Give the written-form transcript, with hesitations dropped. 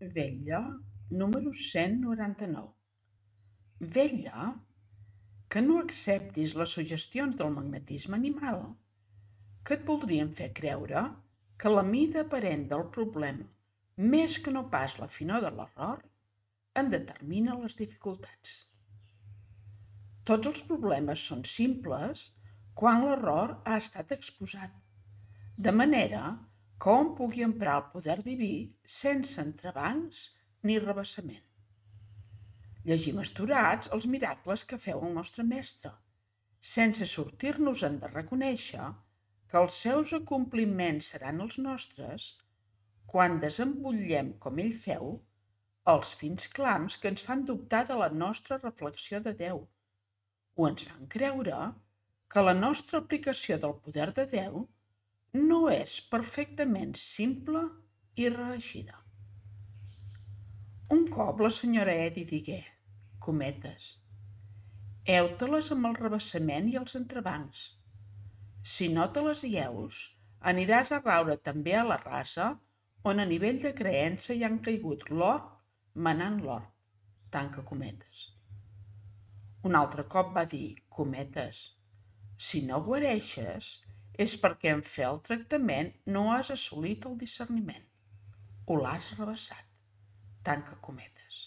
Vetlla número 199. Vetlla que no acceptis les suggestions del magnetisme animal, que et voldrien fer creure que la mida aparent del problema, més que no pas la finor de l'error, en determina les dificultats. Tots els problemes són simples quan l'error ha estat exposat, de manera que hom pugui emprar el poder diví sense entrebancs ni rebassament. Llegim astorats els miracles que feu el nostre Mestre, sense sortir-nos-en de reconèixer que els seus acompliments seran els nostres quan desembutllem, com ell feu, els fins clams que ens fan dubtar de la nostra reflexió de Déu, o ens fan creure que la nostra aplicació del poder de Déu no és perfectament simple i reeixida. Un cop la senyora Eddy digué, cometes, heu-te-les amb el rebassament i els entrebancs. Si no te les lleus, aniràs a raure també a la rasa on a nivell de creença hi han caigut l'orb manant l'orb, tanca cometes. Un altre cop va dir, cometes, si no guareixes és perquè en fer el tractament no has assolit el discerniment o l'has rebassat, tanca cometes.